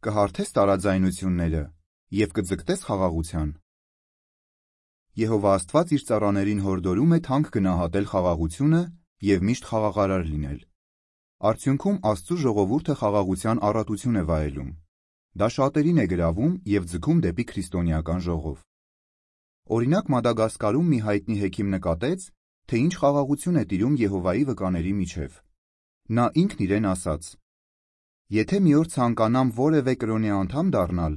կհարթես տարաձայնությունները և կձգտես խաղաղության։ Եհովա Աստված իր ծառաներին հորդորում է թանկ գնահատել խաղաղությունը և միշտ խաղաղարար լինել։ Արդյունքում Աստծու ժողովուրդը խաղաղության առատություն է վայելում։ Դա շատերին է գրավում և ձգում դեպի քրիստոնեական ժողով։ Օրինակ Մադագասկարում մի հայտնի հեքիմ նկատեց, թե ինչ խաղաղություն է տիրում Եհովայի վկաների միջև։ Նա ինքն իրեն ասաց. «Եթե մի օր ցանկանամ որևէ կրոնի անդամ դառնալ,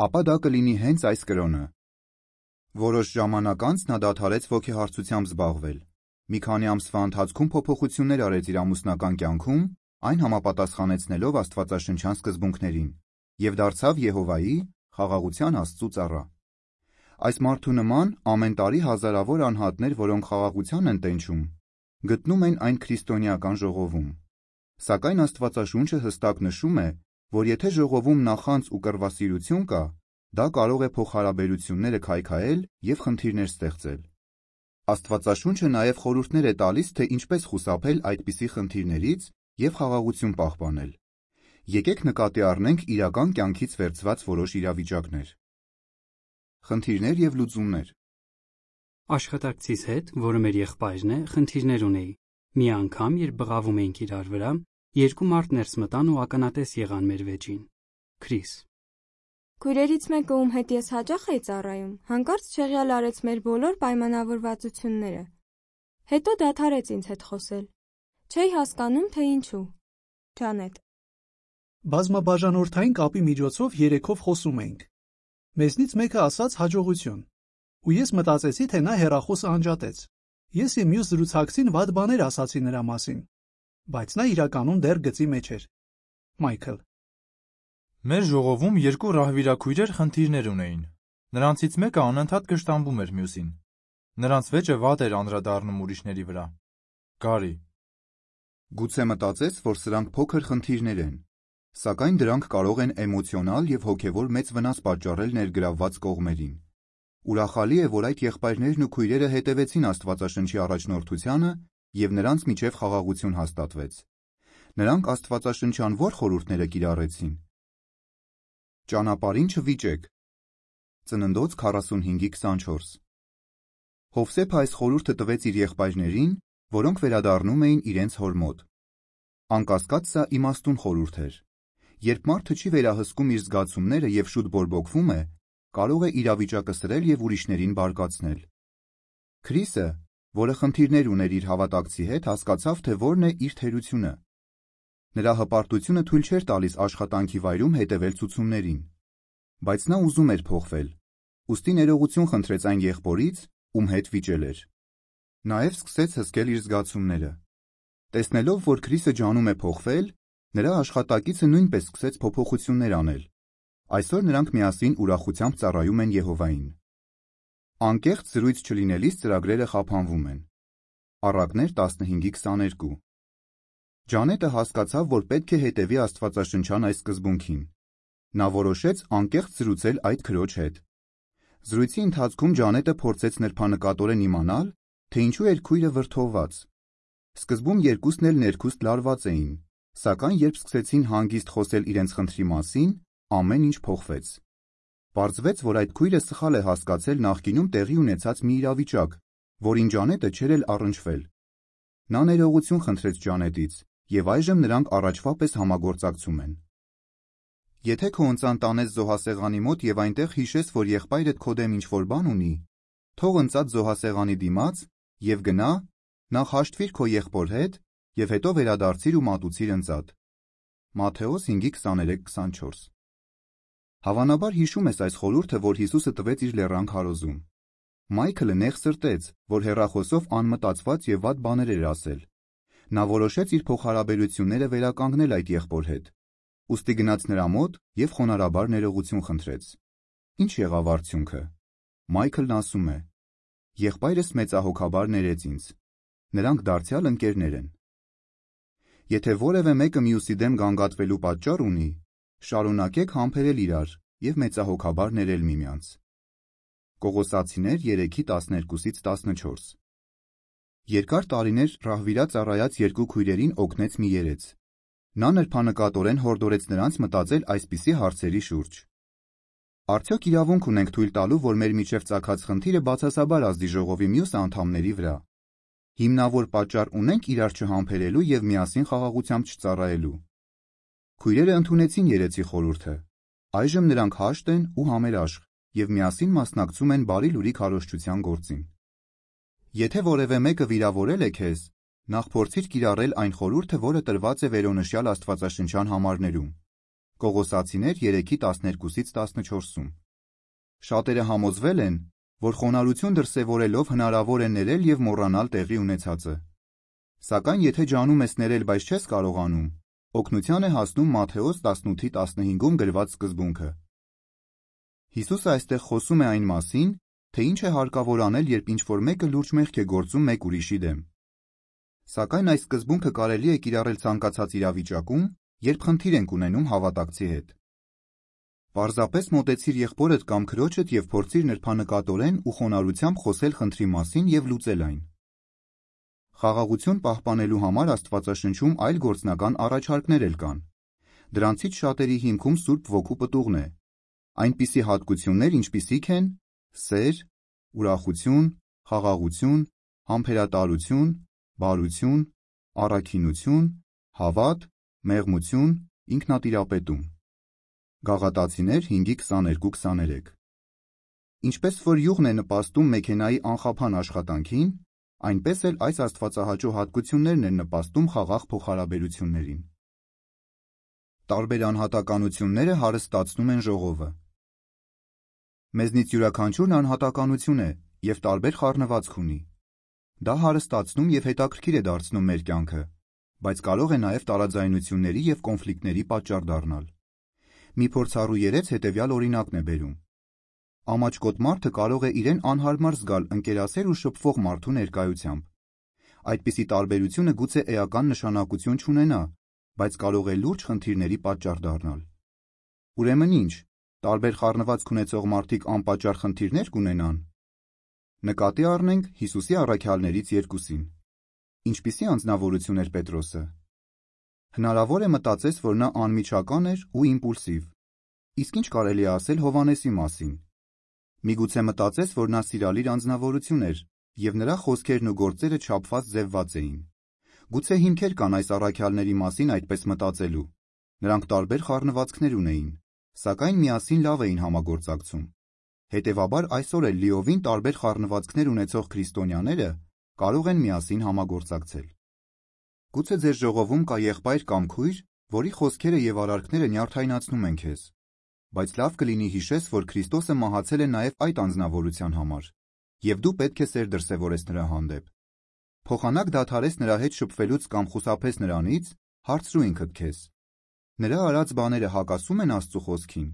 ապա դա կլինի հենց այս կրոնը»։ Որոշ ժամանակ անց նա դադարեց ոգեհարցությամբ զբաղվել։ Մի քանի ամսվա ընթացքում փոփոխություններ արեց իր ամուսնական կյանքում, այն համապատասխանեցնելով աստվածաշնչյան սկզբունքներին, և դարձավ Եհովայի, խաղաղության Աստծու ծառա։ Այս մարդու նման ամեն տարի հազարավոր անհատներ, որոնք խաղաղության են տենչում, գտնում են այն քրիստոնեական ժողովում։ Սակայն Աստվածաշունչը հստակ նշում է, որ եթե ժողովում նախանձ ու կռվասիրություն կա, դա կարող է փոխհարաբերությունները քայքայել և խնդիրներ ստեղծել։ Աստվածաշունչը նաև խորհուրդներ է տալիս, թե ինչպես խուսափել այդպիսի խնդիրներից և խաղաղություն պահպանել։ Եկեք նկատի առնենք իրական կյանքից վերցված որոշ իրավիճակներ։ Խնդիրներ և լուծումներ։ Աշխատակցիս հետ, որը մեր եղբայրն է, խնդիրներ ունեի։ Մի անգամ, երբ բղավում էինք իրար վրա, երկու մարդ ներս մտան ու ականատես եղան մեր վեճին։ Քրիս. Քույրերից մեկը, ում հետ ես հաճախ էի ծառայում, հանկարծ չեղյալ արեց մեր բոլոր պայմանավորվածությունները։ Հետո դադարեց ինձ հետ խոսել։ Չէի հասկանում, թե ինչու։ Ջանետ. Բազմաբաժանորդային կապի միջոցով երեքով խոսում էինք։ Մեզնից մեկը ասաց հաջողություն, ու ես մտածեցի, թե նա հեռախոսը անջատեց։ Ես և մյուս զրուցակցին վատ բաներ ասացի նրա մասին, բայց նա իրականում դեռ գծի մեջ էր։ Մայքլ. Մեր ժողովում երկու ռահվիրաքույրեր խնդիրներ ունեին։ Նրանցից մեկը անընդհատ կշտամբում էր մյուսին։ Նրանց վեճը վատ էր անդրադառնում ուրիշների վրա։ Գարի. Գուցե մտածես, որ սրանք փոքր խնդիրներ են, սակայն դրանք կարող են էմոցիոնալ և հոգևոր մեծ վնաս պատճառել ներգրավված կողմերին։ Ուրախալի է, որ այդ եղբայրներն ու քույրերը հետևեցին Աստվածաշնչի առաջնորդությանը և նրանց միջև խաղաղություն հաստատվեց։ Նրանք աստվածաշնչյան ո՞ր խորհուրդները կիրառեցին։ Ճանապարհին չվիճեք։ Ծննդոց 45:24։ Հովսեփը այս խորհուրդը տվեց իր եղբայրներին, որոնք վերադառնում էին իրենց հոր մոտ։ Անկասկած սա իմաստուն խորհուրդ էր։ Երբ մարդը չի վերահսկում իր զգացումները և շուտ բորբոքվում է, կարող է իրավիճակը սրել և ուրիշներին բարկացնել։ Քրիսը, որը խնդիրներ ուներ իր հավատակցի հետ, հասկացավ, թե որն է իր թերությունը։ Նրա հպարտությունը թույլ չէր տալիս աշխատանքի վայրում հետևել ցուցումներին։ Բայց նա ուզում էր փոխվել, ուստի ներողություն խնդրեց այն եղբորից, ում հետ վիճել էր։ Նաև սկսեց հսկել իր զգացումները։ Տեսնելով, որ Քրիսը ջանում է փոխվել, նրա աշխատակիցը նույնպես սկսեց փոփոխություններ անել։ Այսօր նրանք միասին ուրախությամբ ծառայում են Եհովային։ Անկեղծ զրույց չլինելիս ծրագրերը խափանվում են։ Առակներ 15:22։ Ջանետը հասկացավ, որ պետք է հետևի աստվածաշնչյան այս սկզբունքին։ Նա որոշեց անկեղծ զրուցել այդ քրոջ հետ։ Զրույցի ընթացքում Ջանետը փորձեց նրբանկատորեն իմանալ, թե ինչու էր քույրը վրդովված։ Սկզբում երկուսն էլ ներքուստ լարված էին, սակայն երբ սկսեցին հանգիստ խոսել իրենց խնդրի մասին, ամեն ինչ փոխվեց։ Պարզվեց, որ այդ քույրը սխալ է հասկացել նախկինում տեղի ունեցած մի իրավիճակ, որին Ջանետը չէր էլ առնչվել։ Նա ներողություն խնդրեց Ջանետից, և այժմ նրանք առաջվա պես համագործակցում են։ Եթե քո ընծան տանես զոհասեղանի մոտ և այնտեղ հիշես, որ եղբայրդ քո դեմ ինչ-որ բան ունի, թող ընծած զոհասեղանի դիմաց և գնա, նախ հաշտվիր քո եղբոր հետ և հետո վերադարձիր ու մատուցիր ընծատ։ Մատթեոս 5:23-24։ Հավանաբար հիշում ես այս խորհուրդը, որ Հիսուսը տվեց իր լեռան քարոզում։ Մայքլը նեղ սրտեց, որ հեռախոսով անմտածված և վատ բաներ էր ասել։ Նա որոշեց իր փոխհարաբերությունները վերականգնել այդ եղբոր հետ։ Ուստի գնաց նրա մոտ և խոնարհաբար ներողություն խնդրեց։ Ինչ եղավ արդյունքը։ Մայքլն ասում է. Եղբայրս մեծահոգաբար ներեց ինձ։ Նրանք դարձյալ ընկերներ են։ Եթե որևէ մեկը մյուսի դեմ գանգատվելու պատճառ ունի, շարունակեք համբերել իրար և մեծահոգաբար ներել միմյանց։ Կողոսացիներ 3:12-14։ Երկար տարիներ ռահվիրա ծառայած երկու քույրերին օգնեց մի երեց։ Նա նրբանկատորեն հորդորեց նրանց մտածել այսպիսի հարցերի շուրջ. Արդյոք իրավունք ունենք թույլ տալու, որ մեր միջև ծագած խնդիրը բացասաբար ազդի ժողովի մյուս անդամների վրա։ Հիմնավոր պատճառ ունենք իրար չհամբերելու եւ միասին խաղաղությամբ չծառայելու։ Քույրերը ընդունեցին երեցի խորհուրդը։ Այժմ նրանք հաշտ են ու համերաշխ եւ միասին մասնակցում են բարի լուրի քարոզչության գործին։ Եթե որևէ մեկը վիրավորել է քեզ, նախ փորձիր կիրառել այն խորհուրդը, որը տրված է վերոնշյալ աստվածաշնչյան համարներում։ Կողոսացիներ 3:12-14-ում։ Շատերը համոզվել են, որ խոնարհություն դրսևորելով հնարավոր է ներել եւ մոռանալ տեղի ունեցածը։ Սակայն եթե ջանում ես ներել, բայց չես կարողանում, օգնության է հասնում Մատթեոս 18:15-ում գրված սկզբունքը։ Հիսուսը այստեղ խոսում է այն մասին, թե ինչ է հարկավոր անել, երբ ինչ-որ մեկը լուրջ մեղք է գործում մեկ ուրիշի դեմ։ Սակայն այս սկզբունքը կարելի է կիրառել ցանկացած իրավիճակում, երբ խնդիր ենք ունենում հավատակցի հետ։ Պարզապես մոտեցիր եղբորդ կամ քրոջդ եւ փորձիր նրբանկատորեն ու խոնարհությամբ խոսել խնդրի մասին եւ լուծել այն։ Խաղաղություն պահպանելու համար Աստվածաշնչում այլ գործնական առաջարկներ էլ կան։ Դրանցից շատերի հիմքում Սուրբ Ոգու պտուղն է։ Այնպիսի հատկություններ, ինչպիսիք են սեր, ուրախություն, խաղաղություն, համբերատարություն, բարություն, առաքինություն, հավատ, մեղմություն, ինքնատիրապետում։ Գաղատացիներ 5:22-23։ Ինչպես որ յուղն է նպաստում մեքենայի անխափան աշխատանքին, այնպես էլ այս աստվածահաճո հատկություններն են նպաստում խաղաղ փոխհարաբերություններին։ Տարբեր անհատականությունները հարստացնում են ժողովը։ Մեզնից յուրաքանչյուրն անհատականություն է եւ տարբեր խառնվածք ունի։ Դա հարստացնում եւ հետաքրքիր է դարձնում մեր կյանքը, բայց կարող է նաեւ տարաձայնությունների եւ կոնֆլիկտների պատճառ դառնալ։ Մի փորձառու երեց հետեւյալ օրինակն է բերում. Ամաչկոտ մարդը կարող է իրեն անհարմար զգալ ընկերասեր ու շփվող մարդու ներկայությամբ։ Այդպիսի տարբերությունը գուցե էական նշանակություն չունենա, բայց կարող է լուրջ խնդիրների պատճառ դառնալ։ Ուրեմն ինչ, տարբեր խառնվածք ունեցող մարդիկ անպատճառ խնդիրներ կունենան։ Նկատի առնենք Հիսուսի առաքյալներից երկուսին։ Ինչպիսի անձնավորություն էր Պետրոսը։ Հնարավոր է մտածես, որ նա անմիջական էր ու իմպուլսիվ։ Իսկ ինչ կարելի է ասել Հովհաննեսի մասին։ Միգուցե մտածես, որ նա սիրալիր անձնավորություն էր, եւ նրա խոսքերն ու գործերը չափված ձևված էին։ Գուցե հիմքեր կան այս առաքյալների մասին այդպես մտածելու։ Նրանք տարբեր խառնվածքներ ունեին, սակայն միասին լավ էին համագործակցում։ Հետևաբար այսօր էլ լիովին տարբեր խառնվածքներ ունեցող քրիստոնյաները կարող են միասին համագործակցել։ Գուցե ձեր ժողովում կա եղբայր կամ քույր, որի խոսքերը եւ արարքները նյարդայնացնում են քեզ, բայց լավ կլինի հիշես, որ Քրիստոսը մահացել է նաեւ այդ անձնավորության համար, եւ դու պետք է սեր դրսևորես նրա հանդեպ։ Փոխանակ դադարես նրա հետ շփվելուց կամ խուսափես նրանից, հարցրու ինքդ քեզ. նրա արած բաները հակասում են Աստծո խոսքին։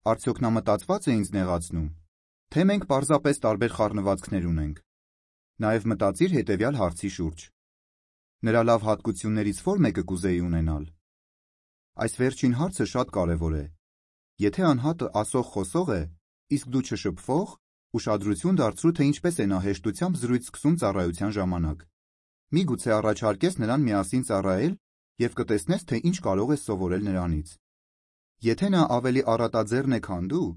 Արդյոք նա մտածված է ինձ նեղացնում, թե մենք պարզապես տարբեր խառնվածքներ ունենք։ Նաեւ մտածիր հետեւյալ հարցի շուրջ. նրա լավ հատկություններից ո՞ր մեկը կուզեի ունենալ։ Այս վերջին հարցը շատ կարևոր է։ Եթե անհատը ասող խոսող է, իսկ դու չշփվող, ուշադրություն դարձրու, թե ինչպես է նա հեշտությամբ զրույց սկսում ծառայության ժամանակ։ Միգուցե առաջարկես նրան միասին ծառայել եւ կտեսնես, թե ինչ կարող ես սովորել նրանից։ Եթե նա ավելի առատաձեռն է, քան դու,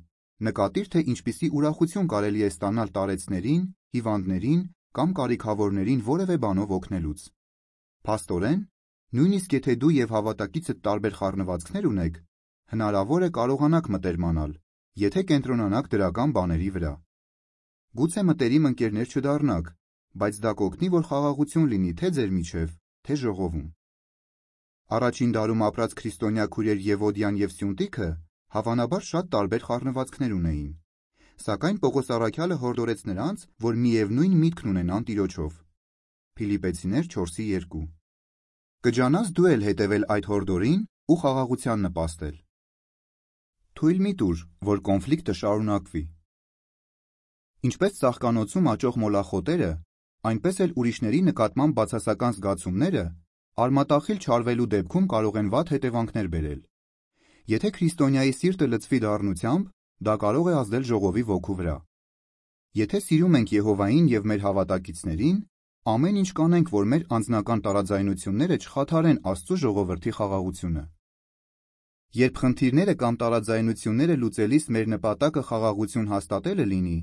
նկատիր, թե ինչպիսի ուրախություն կարելի է ստանալ տարեցներին, հիվանդներին կամ կարիքավորներին որևէ բանով օգնելուց։ Փաստորեն, նույնիսկ եթե դու եւ հավատակիցդ տարբեր խառնվածքներ ունեք, հնարավոր է կարողանաք մտերմանալ, եթե կենտրոնանաք դրական բաների վրա։ Գուցե մտերիմ ընկերներ չդառնաք, բայց դա կօգնի, որ խաղաղություն լինի թե ձեր միջև, թե ժողովում։ Առաջին դարում ապրած քրիստոնյա քույրեր Եվոդիան եւ Սյունտիքը հավանաբար շատ տարբեր խառնվածքներ ունեին։ Սակայն Պողոս առաքյալը հորդորեց նրանց, որ միևնույն միտքն ունենան Տիրոջով։ Փիլիպպեցիներ 4:2։ Կջանաս դու էլ հետևել այդ հորդորին ու խաղաղության նպաստել։ Թույլ մի տուր, որ կոնֆլիկտը շարունակվի։ Ինչպես ծաղկանոցում աճող մոլախոտերը, այնպես էլ ուրիշների նկատմամբ բացասական զգացումները արմատախիլ չարվելու դեպքում կարող են վատ հետևանքներ բերել։ Եթե քրիստոնյայի սիրտը լցվի դառնությամբ, դա կարող է ազդել ժողովի ոգու վրա։ Եթե սիրում ենք Եհովային եւ մեր հավատակիցներին, ամեն ինչ կանենք, որ մեր անձնական տարաձայնությունները չխաթարեն Աստծո ժողովրդի խաղաղությունը։ Երբ խնդիրները կամ տարաձայնությունները լուծելիս մեր նպատակը խաղաղություն հաստատելը լինի,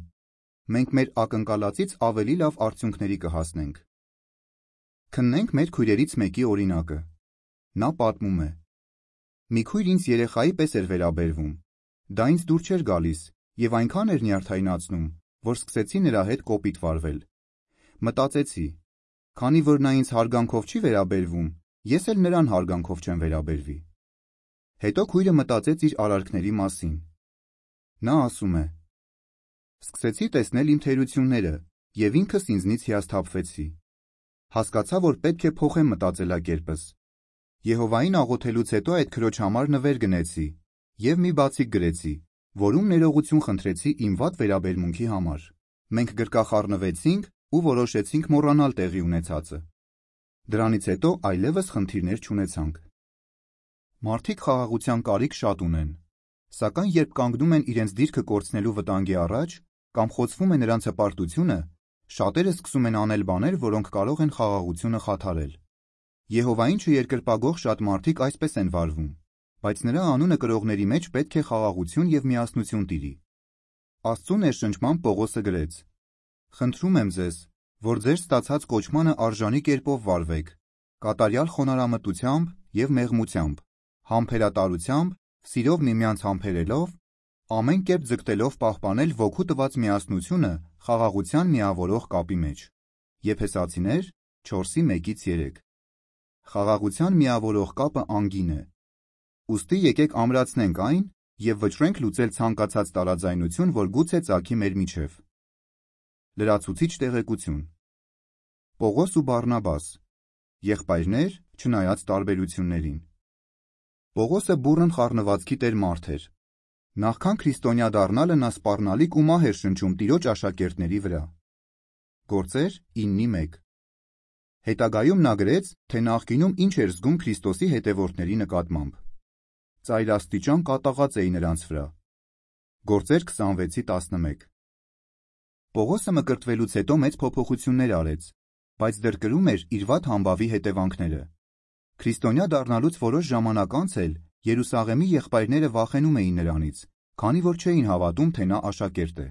մենք մեր ակնկալածից ավելի լավ արդյունքների կհասնենք։ Քննենք մեր քույրերից մեկի օրինակը։ Նա պատմում է. մի քույր ինձ երեխայի պես էր վերաբերվում, դա ինձ դուր չէր գալիս և այնքան էր նյարդայնացնում, որ սկսեցի նրա հետ կոպիտ վարվել։ Մտածեցի, քանի որ նա ինձ հարգանքով չի վերաբերվում, ես էլ նրան հարգանքով չեմ վերաբերվի։ Հետո քույրը մտածեց իր արարքների մասին։ Նա ասում է. սկսեցի տեսնել իմ թերությունները և ինքս ինձնից հիասթափվեցի։ Հասկացա, որ պետք է փոխեմ մտածելակերպս։ Եհովային աղոթելուց հետո այդ քրոջ համար նվեր գնեցի և մի բացիկ գրեցի, որում ներողություն խնդրեցի իմ վատ վերաբերմունքի համար։ Մենք գրկախառնվեցինք ու որոշեցինք մոռանալ տեղի ունեցածը։ Դրանից հետո այլևս խնդիրներ չունեցանք։ Մարդիկ խաղաղության կարիք շատ ունեն, սակայն երբ կանգնում են իրենց դիրքը կորցնելու վտանգի առաջ կամ խոցվում է նրանց հպարտությունը, շատերը սկսում են անել բաներ, որոնք կարող են խաղաղությունը խաթարել։ Եհովային չերկրպագող շատ մարդիկ այսպես են վարվում, բայց նրա անունը կրողների մեջ պետք է խաղաղություն և միասնություն տիրի։ Աստծու ներշնչմամբ Պողոսը գրեց. խնդրում եմ ձեզ, որ ձեր ստացած կոչմանը արժանի կերպով վարվեք, կատարյալ խոնարհամտությամբ և մեղմությամբ, համբերատարությամբ, սիրով միմյանց համբերելով, ամեն կերպ ձգտելով պահպանել ոգու տված միասնությունը խաղաղության միավորող կապի մեջ։ Եփեսացիներ 4:1-3 Խաղաղության միավորող կապը անգին է։ Ուստի եկեք ամրացնենք այն և վճռենք լուծել ցանկացած տարաձայնություն, որ գուցե ծագի մեր միջև։ Լրացուցիչ տեղեկություն։ Պողոս ու Բարնաբաս, եղբայրներ, չնայած տարբերություններին։ Պողոսը բուռն խառնվածքի տեր մարդ էր։ Նախքան քրիստոնյա դառնալը նա սպառնալիք ու մահ էր շնչում Տիրոջ աշակերտների վրա։ Գործեր 9:1 Հետագայում նա գրեց, թե նախկինում ինչ էր զգում Քրիստոսի հետևորդների նկատմամբ։ Ծայրաստիճան կատաղած էի նրանց վրա։ Գործեր 26:11 Պողոսը մկրտվելուց հետո մեծ փոփոխություններ արեց, բայց դեռ կրում էր իր վատ համբավի հետևանքները։ Քրիստոնյա դառնալուց որոշ ժամանակ անց էլ Երուսաղեմի եղբայրները վախենում էին նրանից, քանի որ չէին հավատում, թե նա աշակերտ է։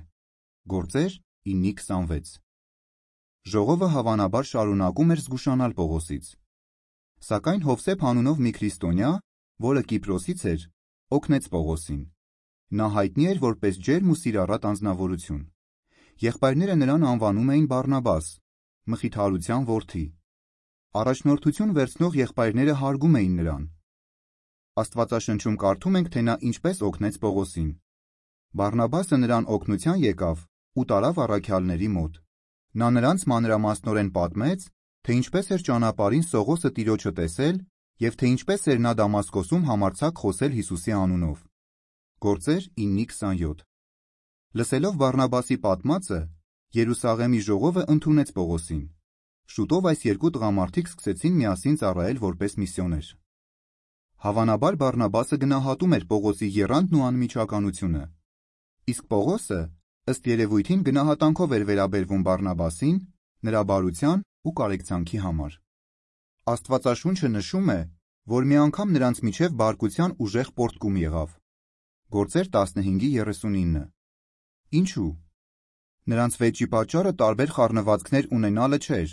Գործեր 9:26 Ժողովը հավանաբար շարունակում էր զգուշանալ Պողոսից։ Սակայն Հովսեփ անունով մի քրիստոնյա, որը Կիպրոսից էր, օգնեց Պողոսին։ Նա հայտնի էր որպես ջերմ ու սիրառատ անձնավորություն։ Եղբայրները նրան անվանում էին Բարնաբաս, մխիթարության որդի։ Առաջնորդություն վերցնող եղբայրները հարգում էին նրան։ Աստվածաշնչում կարդում ենք, թե նա ինչպես օգնեց Պողոսին։ Բարնաբասը նրան օգնության եկավ ու տարավ առաքյալների մոտ։ Նա նրանց մանրամասնորեն պատմեց, թե ինչպես էր ճանապարհին Սողոսը Տիրոջը տեսել և թե ինչպես էր նա Դամասկոսում համարձակ խոսել Հիսուսի անունով։ Գործեր 9:27 Լսելով Բարնաբասի պատմածը, Երուսաղեմի ժողովը ընդունեց Պողոսին։ Շուտով այս երկու տղամարդիկ սկսեցին միասին ծառայել որպես միսիոներ։ Հավանաբար Բարնաբասը գնահատում էր Պողոսի եռանդն ու անմիջականությունը։ Իսկ Պողոսը, ըստ երևույթին, գնահատանքով էր վերաբերվում Բարնաբասին, նրա բարության ու կարեկցանքի համար։ Աստվածաշունչը նշում է, որ մի անգամ նրանց միջև բարկության ուժեղ պոռթկում եղավ։ Գործեր 15:39 Ինչու՞։ Նրանց վեճի պատճառը տարբեր խառնվածքներ ունենալը չէր,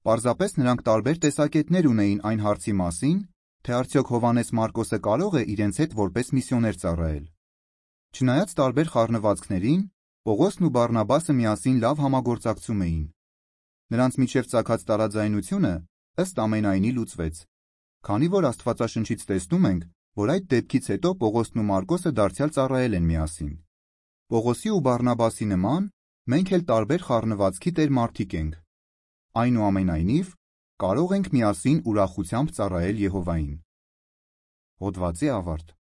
պարզապես նրանք տարբեր տեսակետներ ունեին այն հարցի մասին, թե արդյոք Հովհաննես Մարկոսը կարող է իրենց հետ որպես միսիոներ ծառայել։ Չնայած տարբեր խառնվածքներին, Պողոսն ու Բարնաբասը միասին լավ համագործակցում էին։ Նրանց միջև ծագած տարաձայնությունը ըստ ամենայնի լուծվեց, քանի որ Աստվածաշնչից տեսնում ենք, որ այդ դեպքից հետո Պողոսն ու Մարկոսը դարձյալ ծառայել են միասին։ Պողոսի ու Բարնաբասի նման մենք էլ տարբեր խառնվածքի տեր մարդիկ ենք։ Այնուամենայնիվ, կարող ենք միասին ուրախությամբ ծառայել Եհովային։ Հոդվացի ավարտ։